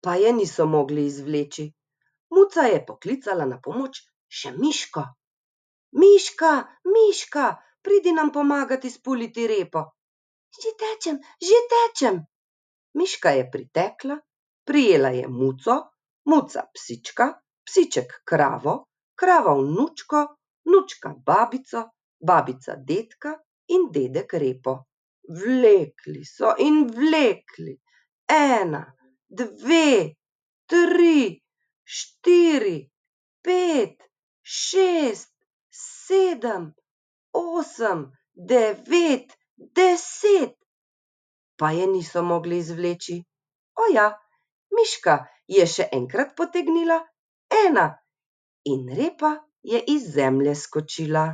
pa je niso mogli izvleči. Muca je poklicala na pomoč še Miško. Miška, Miška, pridi nam pomagat izpuliti repo. Že tečem. Miška je pritekla, prijela je Muco, Muca psička, psiček kravo, krava vnučko, vnučka babico, babica dedka in dedek repo. Vlekli so in vlekli, 1, 2, 3, 4, 5, 6, 7, 8, 9, 10, pa je niso mogli izvleči. O ja, Miška je še enkrat potegnila 1 in repa je iz zemlje skočila.